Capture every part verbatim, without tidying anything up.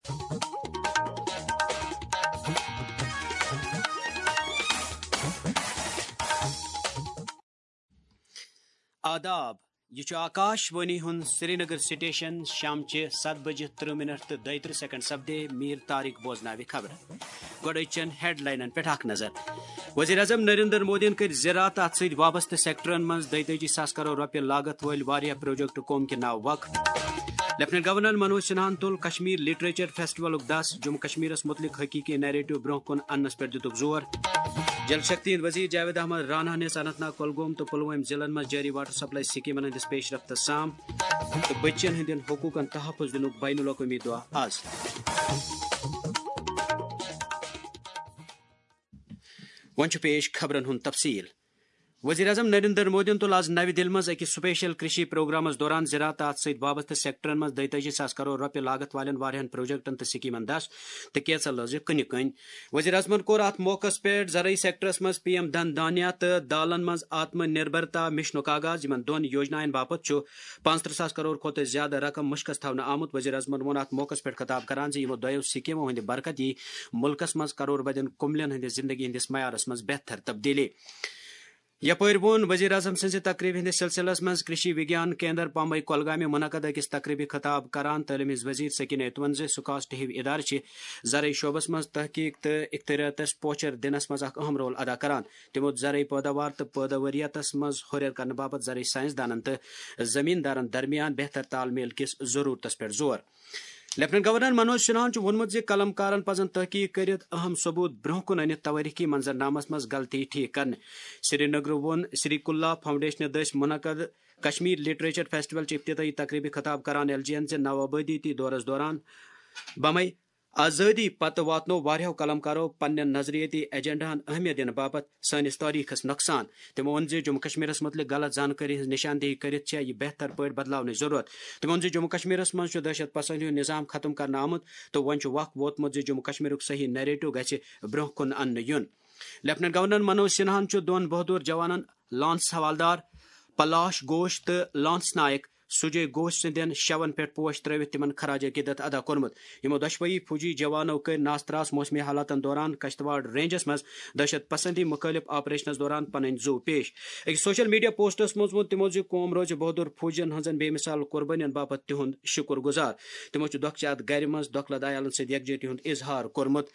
آداب، یہِ چھُ آکاش وانی ہُنٛد سرینگر سٹیشن۔ شامچہِ ستھ بجہِ ترٕہ منٹ تہٕ دۄیہِ ترٕہ سیکنڈ سپدے۔ میر طارق بوزناوِ خبرٕ۔ گۄڈٕ أزچٮ۪ن ہیڈلاینن پٮ۪ٹھ اکھ نظر۔ وزیر اعظم نریندر مودیَن کٔرۍ زراعت تہٕ اتھ سۭتۍ وابستہٕ سیکٹرن منٛز دۄیتٲجی ساس کرور رۄپیہِ لاگت وٲلۍ واریاہ پروجیکٹ قوم کہِ ناوٕ وقف۔ لیفٹیننٹ گورنر منوج سنہاہن تُل کشمیر لٹریچر فیسٹیولُک دس، جموں کشمیرس متعلق حقیقی نیریٹو برونٛہہ کُن اننس پٮ۪ٹھ دِتُکھ زور۔ جل شکتی ہٕنٛدۍ وزیر جاوید احمد راناہن ہیٚژ اننت ناگ، کۄلگوم تہٕ پلوٲمۍ ضلعن منٛز جٲری واٹر سپلائی سکیمن ہٕنٛدِس پیش رفتس سام تہٕ بچین ہٕنٛدٮ۪ن حقوقن تحفظ دِنُک بین الاقوٲمی دۄہ از۔ وۄنۍ چھُ پیش خبرن ہُنٛد تفصیل۔ وزیر اعظم نریندر مودیَن تُل آز نَوِ دِلہِ منٛز أکِس سپیشل کرشی پروگرامس دوران زراعت تہٕ اتھ سۭتۍ وابستہٕ سیکٹرن منٛز دۄیتٲجی ساس کرور رۄپیہِ لاگت والٮ۪ن واریاہن پروجیکٹن تہٕ سکیمن دس تہٕ کینژھا لٲزِ کٕنہِ کٔنۍ۔ وزیر اعظمن کوٚر اتھ موقعس پٮ۪ٹھ زرعی سیکٹرس منٛز پی ایم دھن دھانیہ تہٕ دالن منٛز آتم نربھرتا مشنُک آغاز۔ یِمن دۄن یوجناین باپتھ چھُ پانٛژترٕہ ساس کرور کھۄتہٕ زیادٕ رقم مُشکَس تھاونہٕ آمُت۔ وزیر اعظمن ووٚن اتھ موقعس پٮ۪ٹھ خطاب کران زِ یِمو دۄیو سکیمو ہٕنٛدِ برکت یی مُلکس منٛز کرور بدٮ۪ن کُملٮ۪ن ہٕنٛدِ زندگی ہٕنٛدِس معیارس منٛز بہتر تبدیلی۔ یپٲرۍ ووٚن وزیر اعظم سٕنٛزِ تقریبہِ ہٕنٛدِس سلسلس منٛز کرشی وگیان کیندر پمبئی کۄلگامہِ منعقد أکِس تقریبہِ خطاب کران تعلیٖم ہٕنٛز وزیر سکینہ یتوَن زِ سکاسٹ ہِوۍ ادارٕ چھِ زرعی شعبس منٛز تحقیق تہٕ اختراعاتس پوچھر دِنس منٛز اکھ اہم رول ادا کران۔ تِمو زرعی پٲداوار تہٕ پٲداوٲریتس منٛز ہُرٮ۪ر کرنہٕ باپتھ زرعی سائنسدانن تہٕ زمیٖندارن درمیان بہتر تال میل کِس ضروٗرتس پٮ۪ٹھ زور۔ لیفٹیننٹ گورنر منوج سنہاہن چھُ ووٚنمُت زِ قلم کارن پزن تحقیق کٔرِتھ اہم ثبوت برونٛہہ کُن أنِتھ توٲریخی منظرنامس منٛز غلطی ٹھیک کرنہٕ۔ سرینگرٕ ووٚن سری کلا فاؤنڈیشنہٕ دٔسۍ منعقد کشمیر لٹریچر فیسٹیول چہِ افتتاحی تقریبہِ خطاب کران ایل جی یَن زِ نوآبادیٲتی دورس دوران بمے آزٲدی پتہٕ واتنوو واریاہو قلم کارو پننٮ۪ن نظریٲتی ایجنڈاہن اہمیت دِنہٕ باپتھ سٲنِس تٲریخس نۄقصان۔ تِمو ووٚن زِ جموں کشمیرس مُتعلق غلط زانکٲری ہٕنٛز نشاندہی کٔرِتھ چھےٚ یہِ بہتر پٲٹھۍ بدلاونٕچ ضروٗرت۔ تِمو ووٚن زِ جموں کشمیرس منٛز چھُ دہشت پسندی ہُنٛد نظام ختم کرنہٕ آمُت تہٕ وۄنۍ چھُ وق ووتمُت زِ جموں کشمیرُک صحیح نیریٹو گژھِ برونٛہہ کُن اننہٕ یُن۔ لیفٹیننٹ گورنر منوج سنہاہن چھُ دۄن بہادر جوانن لانس حوالدار پلاش گھوش تہٕ لانس نائک سجے گھوش سٕنٛدٮ۪ن شون پٮ۪ٹھ پوش ترٲوِتھ تِمن خراج عقیدت ادا کوٚرمُت۔ یِمو دۄشوٕیی فوجی جوانو کٔرۍ ناس تراس موسمی حالاتن دوران کشتواڑ رینجس منٛز دہشت پسندی مخٲلف آپریشنس دوران پنٕنۍ زُو پیش۔ أکِس سوشل میڈیا پوسٹس منٛز ووٚن تِمو زِ قوم روزِ بہادر فوجین ہٕنٛزن بے مثال قربٲنین باپتھ تِہُنٛد شُکر گُزار۔ تِمو چھُ دۄکھٕ چہِ اتھ گرِ منٛز دۄکھٕ لد عیالن سۭتۍ یکجہتی ہُنٛد اظہار کوٚرمُت۔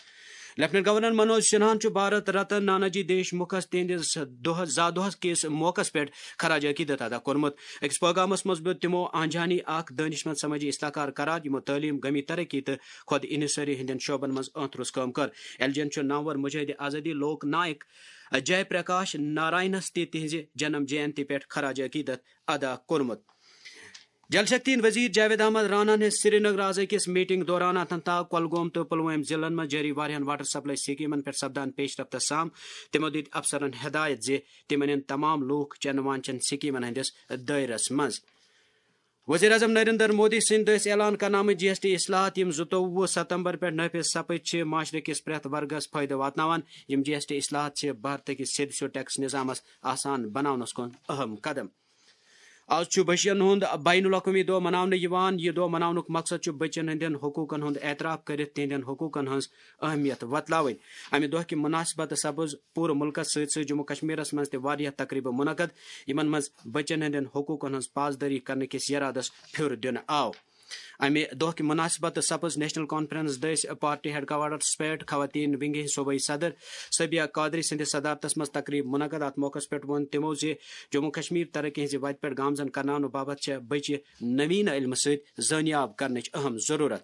لیفٹیننٹ گورنر منوج سنہاہن چھُ بھارت رتن ناناجی دیش مُکھس تِہنٛدِس دۄہ زا دۄہس کِس موقعس پٮ۪ٹھ خراج عقیدت ادا کوٚرمُت۔ أکِس پیغامس منٛز بُد تِمو آنجہانی اکھ دٲنشمند سمٲجی اصلاح کار قرار، یِمو تعلیٖم، گمی ترقی تہٕ خود انحصٲری ہٕنٛدٮ۪ن شعبن منٛز اہم روٚس کٲم کٔر۔ ایل جی یَن چھُ نامور مجاہد آزادی لوک نائک جے پرکاش ناراینس تہِ تِہنٛزِ جنم جینتی پٮ۪ٹھ خراج عقیدت ادا کوٚرمُت۔ جل شکتی ہٕنٛدۍ وزیر جاوید احمد راناہن ہیٚژ سرینگر آز أکِس میٹنگ دوران اننت ناگ، کۄلگوم تہٕ پلوٲمۍ ضلعن منٛز جٲری واریاہن واٹر سپلائی سکیمن پٮ۪ٹھ سپدان پیش رفت سام۔ تِمو دِتۍ افسرن ہدایت زِ تِم انن تمام لوٗکھ چنہٕ وانچن سکیمن ہٕنٛدِس دٲیرس منٛز۔ وزیر اعظم نریندر مودی سٕنٛدِ دٔسۍ اعلان کرنہٕ آمٕتۍ جی ایس ٹی اصلاحات، یِم زٕتووُہ ستمبر پٮ۪ٹھ نافذ سپٕدۍ، چھِ معاشرٕ کِس پرٛٮ۪تھ ورگس فٲیدٕ واتناوان۔ یِم جی ایس ٹی اصلاحات چھِ بھارتہٕ کِس سیٚدِ سیوٚد ٹیکس نظامس آسان بناونس کُن اہم قدم۔ آز چھُ بچین ہُنٛد بین الاقوٲمی دۄہ مناونہٕ یِوان۔ یہِ دۄہ مناونُک مقصد چھُ بچین ہٕنٛدٮ۪ن حقوٗقن ہُنٛد اعتراف کٔرِتھ تِہنٛدٮ۪ن حقوٗقن ہٕنٛز اہمیت وۄتلاوٕنۍ۔ امہِ دۄہ کہِ مناسبتہٕ سپٕز پوٗرٕ مُلکس سۭتۍ سۭتۍ جموں کشمیرس منٛز تہِ واریاہ تقریبہٕ منعقد، یِمن منٛز بچین ہٕنٛدٮ۪ن حقوٗقن ہٕنٛز پاسدٲری کرنہٕ کِس یرادس پھیُر دِنہٕ آو۔ امہِ دۄہ کہِ مناسبتہٕ سپٕز نیشنل کانفرنس دٔسۍ پارٹی ہیڈ کوارٹرس پٮ۪ٹھ خواتین ونگہِ ہٕنٛدۍ صوبٲئی صدر صبیہ قادری سٕنٛدِس صدارتس منٛز تقریب منعقد۔ اتھ موقعس پٮ۪ٹھ ووٚن تِمو زِ جموں کشمیر ترقی ہٕنٛزِ وتہِ پٮ۪ٹھ گامزن کرناونہٕ باپتھ چھےٚ بچہِ نوین علمہٕ سۭتۍ زٲنیاب کرنٕچ اہم ضروٗرت۔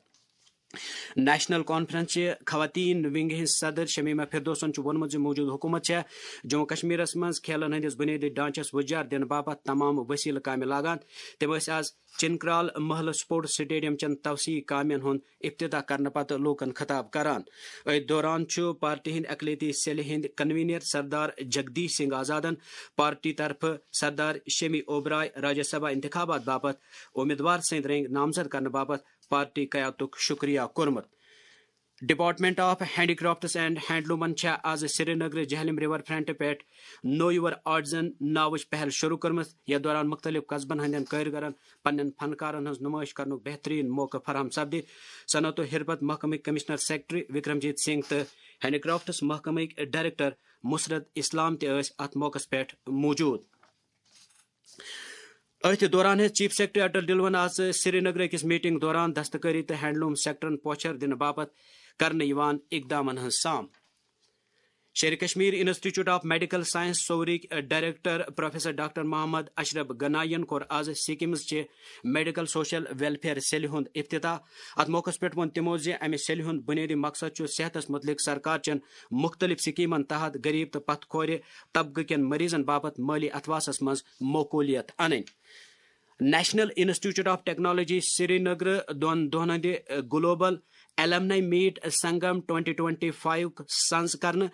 نیشنل کانفرنس چہِ خواتین ونگہِ ہٕنٛز صدر شمیمہ فردوسن چھُ ووٚنمُت زِ موجودٕ حکومت چھےٚ جموں کشمیرس منٛز کھیلن ہٕنٛدِس بنیٲدی ڈھانچس وُجار دِنہٕ باپتھ تمام وسیلہٕ کامہِ لاگان۔ تِم ٲسۍ آز چنکرال محلہٕ سپورٹس سٹیڈیم چٮ۪ن توسیعی کامٮ۪ن ہُنٛد افتتاح کرنہٕ پتہٕ لوٗکن خطاب کران۔ أتھۍ دوران چھُ پارٹی ہٕنٛدۍ اقلیتی سیلہِ ہٕنٛدۍ کنوینر سردار جگدیش سنگھ آزادن پارٹی طرفہٕ سردار شمی اوبرائے راجیہ سبھا انتخابات باپتھ امیدوار سٕنٛدۍ رٔنگۍ نامزد کرنہٕ باپتھ پارٹی قیادتُک شُکریہ کوٚرمُت۔ Department of Handicrafts and Handloomن چھےٚ آز سرینگرٕ جہلم river front پٮ۪ٹھ Know Your Artisan ناوٕچ پہل شروع کٔرمٕژ، یتھ دوران مختلف قصبن ہٕنٛدٮ۪ن کٲرۍگرن پننٮ۪ن فنکارن ہٕنٛز نمٲیش کرنُک بہترین موقعہٕ فراہم سپدِ۔ صنعت و حرفت محکمٕکۍ کمشنر سیکرٹری وکرمجیت سنگھ تہٕ ہینڈی کرافٹس محکمٕکۍ ڈائریکٹر مسرت اسلام تہِ ٲسۍ اتھ موقعس پٮ۪ٹھ موجود۔ أتھۍ دوران ہیٚژ چیف سیکرٹری اٹل ڈلون آز سرینگرٕ أکِس میٹنگ دوران دستکٲری تہٕ ہینڈلوم سیکٹرن پوچھر دِنہٕ باپتھ کرنہٕ یِوان اقدامن ہٕنٛز سام۔ Sher-i Kashmir institute of medical science سورٕکۍ director professor doctor Mohammad Ashraf Ganai ین کوٚر آز سکمز چہِ میڈیکل سوشل ویلفیئر سیلہِ ہُنٛد افتتاح۔ اتھ موقعس پٮ۪ٹھ ووٚن تِمو زِ امہِ سیلہِ ہُنٛد بنیٲدی مقصد چھُ صحتس متعلق سرکار چٮ۪ن مختلف سکیمن تحت غریب تہٕ پتھ کھورِ طبقہٕ کٮ۪ن مریضن باپتھ مٲلی اتھواسس منٛز معقولیت انٕنۍ۔ نیشنل انسٹیٹیوٹ آف ٹیکنالوجی سرینگرٕ دۄن دۄہن ہٕنٛدِ global alumni meet Sangam twenty twenty five سنز کرنہٕ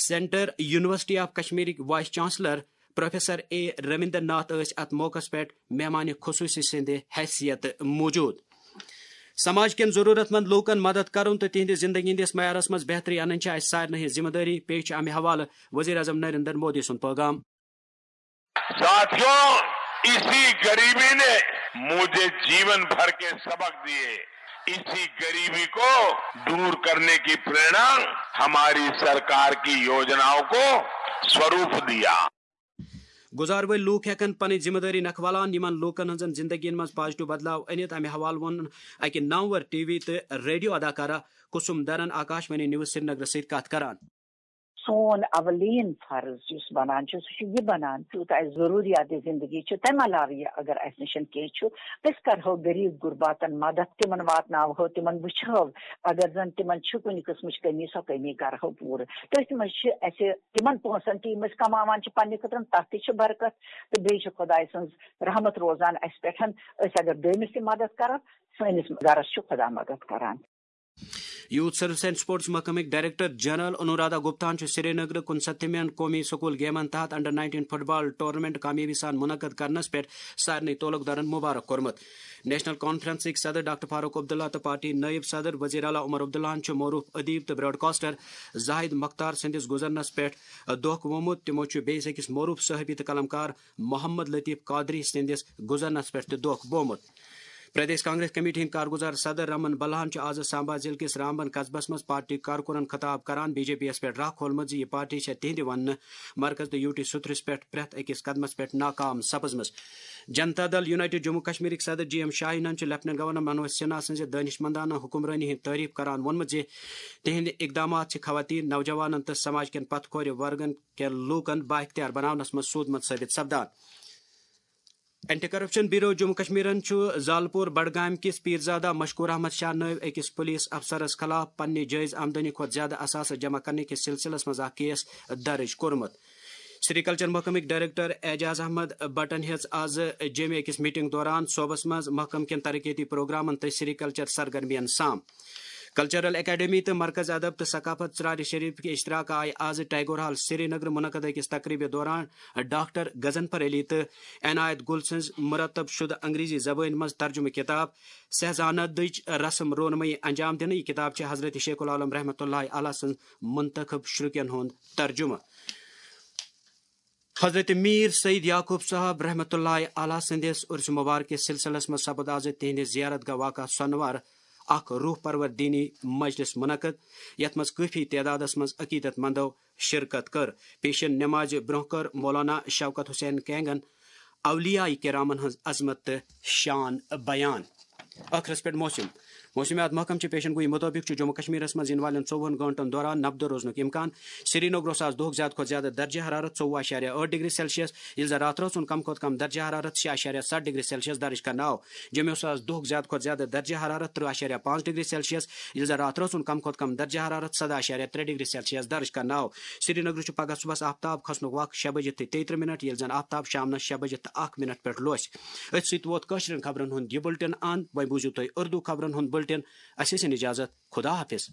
سینٹر یونیورسٹی آف کشمیرٕکۍ vice chancellor professor A Raminder Nath ٲسۍ اتھ موقعس پٮ۪ٹھ مہمان خصوصی سٕنٛدِ حیثیت موجود۔ سماج کٮ۪ن ضروٗرت مند لوٗکن مدد کرُن تہٕ تِہنٛدِ زندگی ہٕنٛدِس معیارس منٛز بہتری انٕنۍ چھِ اسہِ سارنٕے ہٕنٛز ذمہٕ دٲری، پیش چھِ امہِ حوالہٕ وزیر اعظم نریندر مودی سُنٛد پیغام۔ साथियों, इसी गरीबी ने मुझे जीवन भर के सबक दिए। इसी गरीबी को दूर करने की प्रेरणा हमारी सरकार की योजनाओं को स्वरूप दिया। گُزار وٲلۍ لوٗکھ ہٮ۪کن پنٕنۍ ذمہٕ دٲری نکھٕ والان یِمن لوٗکن ہٕنٛزن زندگین منٛز پازیٹیو بدلاو أنِتھ۔ امہِ حوالہٕ ووٚن اکہِ نامور ٹی وی تہٕ ریڈیو اداکارہ کُسُم درن آکاش وانی نیوز سرینگرس سۭتۍ کتھ کران۔ سون اولین فرض یُس بنان چھُ، سُہ چھُ یہِ بنان، یوٗتاہ اَسہِ ضروٗریات زندگی چھُ، تَمہِ علاوٕ یہِ اگر اَسہِ نِش کینٛہہ چھُ، أسۍ کرہو غریٖب غُرباتن مدد، تِمن واتناوہو، تِمن وٕچھہو، اگر زن تِمن چھُ کُنہِ قٕسمٕچ کٔمی، سۄ کٔمی کرہو پوٗرٕ۔ تٔتھۍ منٛز چھِ اَسہِ تِمن پونٛسن تہِ، یِم أسۍ کماوان چھِ پننہِ خٲطرٕ، تَتھ تہِ چھِ برکت، تہٕ بیٚیہِ چھِ خۄداے سٕنٛز رحمت روزان اَسہِ پٮ۪ٹھ۔ أسۍ اگر بیٚمِس تہِ مدد کرو، سٲنِس گرس چھُ خۄدا مدد کران۔ یوتھ سروس اینڈ سپورٹس محکمٕکۍ ڈائریکٹر جنرل انورادھا گپتاہن چھُ سرینگرٕ کُنسَتتھمٮ۪ن قومی سکول گیمن تحت under nineteen football tournament کامیٲبی سان منعقد کرنس پٮ۪ٹھ سارنٕے تعلق دارن مبارک کوٚرمُت۔ نیشنل کانفرنسٕکۍ صدر ڈاکٹر فاروق عبداللہ تہٕ پارٹی نائب صدر وزیر اعلیٰ عمر عبداللہن چھُ معروف ادیب تہٕ براڈکاسٹر زاہد مختار سٕنٛدِس گُزرنس پٮ۪ٹھ دۄکھ ووٚمُت۔ تِمو چھُ بیٚیِس أکِس معروف صحافی تہٕ قلمکار محمد لطیف قادری سٕنٛدِس گُزرنس پٮ۪ٹھ تہِ دۄکھ ووٚمُت۔ پردیش کانگریس کمیٹی ہٕنٛدۍ کارگزار صدر رمن بلہن چھُ آز سامبا ضلعہٕ کِس رامبن قصبس منٛز پارٹی کارکُنن خطاب کران، بی جے پی یَس پٮ۪ٹھ راہ کھولمُت زِ یہِ پارٹی چھےٚ تِہنٛدِ وننہٕ مرکز تہٕ یوٗ ٹی سترس پٮ۪ٹھ پرٛٮ۪تھ أکِس قدمس پٮ۪ٹھ ناکام سپٕزمٕژ۔ جنتا دل یونائیٹڈ جموں کشمیرٕکۍ صدر جی ایم شاہینن چھُ لیفٹیننٹ گورنر منوج سنہا سٕنٛزِ دٲنِش مندانہٕ حکمرٲنی ہٕنٛز تعریف کران ووٚنمُت زِ تِہنٛدِ اقدامات چھِ خواتین، نوجوانن تہٕ سماج کٮ۪ن پتھ کھورِ ورگن کٮ۪ن لوٗکن بااختیار بناونس منٛز سوٗدمُت ثٲبت سپدان۔ اینٹی کرپشن بیورو جموں کشمیرن چھُ زالپور بڈگام کِس پیرزادہ مشکور احمد شاہ نٲوۍ أکِس پولیس افسرس خلاف پننہِ جٲیز آمدنی کھۄتہٕ زیادٕ اثاثہٕ جمع کرنہٕ کِس سلسلس منٛز اکھ کیس درج کوٚرمُت۔ سری کلچر محکمٕکۍ ڈائریکٹر اعجاز احمد بٹن ہیٚژ آز جیٚمہِ أکِس میٹنگ دوران صوبس منٛز محکمہٕ کٮ۪ن ترقیتی پروگرامن تہٕ سری کلچر سرگرمین سام۔ کلچرل اکیڈمی تہٕ مرکز ادب تہٕ ثقافت ژرارِ شریف کہِ اشتراک آیہِ آز ٹیگور ہال سرینگر منعقد أکِس تقریبہِ دوران ڈاکٹر غضنفر علی تہٕ عنایت گل سٕنٛز مرتب شدٕ انگریزی زبٲنۍ منٛز ترجمہٕ کتاب سہزانہ دٕچ رسم رونمٲیی انجام دِنہٕ۔ یہِ کتاب چھِ حضرت شیخ العالم رحمتہ اللہ علیہ سٕنٛز منتخب شرکن ہُنٛد ترجمہٕ۔ حضرت میر سید یعقوب صاحب رحمتہ اللہ علیہ سٕنٛدِس عرس مبارک کِس سلسلس منٛز سپُد آز تِہنٛدِ زیارت گاہ واقع سۄنوار اکھ روح پرور دینی مجلس منعقد، یتھ منٛز کٲفی تعدادس منٛز عقیدت مندو شرکت کٔر۔ پیشن نمازِ برونٛہہ کٔر مولانا شوکت حسین کینگن اولیاء کرامن ہٕنٛز عظمت تہٕ شان بیان۔ ٲخرس پٮ۪ٹھ موسم۔ موسمیات محکمہٕ چہِ پیشن گویی مُطٲبِق چھُ جموں کشمیرس منٛز یِنہٕ والٮ۪ن ژوٚوُہن گٲنٛٹن دوران نبدٕ روزنُک امکان۔ سرینگرس آز دۄہُک زیادٕ کھۄتہٕ زیادٕ درجہ حرارت ژوٚوُہ اَشاریہ ٲٹھ ڈگری سیلسیس، ییٚلہِ زن راتھ رٲژ ہُنٛد کم کھۄتہٕ کم درجہ حرارت شےٚ اَشاریہ ستھ ڈگری سیلسیس درج کرنہٕ آو۔ جوٚمہِ اوس آز دۄہُک زیادٕ کھۄتہٕ زیادٕ درجہ حرارت ترٕٛہ اَشاریہ پانٛژھ ڈگری سیلسیس، ییٚلہِ زن راتھ رٲژ ہُنٛد کم کھۄتہٕ کم درجہ حرارت سداہ اَشاریہ ترٛےٚ ڈگری سیلسیس درج کرنہٕ آو۔ سرینگرٕ چھُ پگہہ صبحس آفتاب کھسنُک وقت شےٚ بجہِ تہٕ تیٚیہِ ترٕٛہ منٹ، ییٚلہِ زن آفتاب شامنس شےٚ بجہِ تہٕ اکھ منٹ پٮ۪ٹھ لوسہِ۔ أتھۍ سۭتۍ ووت کٲشرٮ۪ن خبرن ہُنٛد یہِ بُلٹن اند۔ وۄنۍ بوٗزِو تُہۍ اردو خبرن ہُنٛد بُلٹن۔ اسہِ ٲسِن اجازت۔ خدا حافظ۔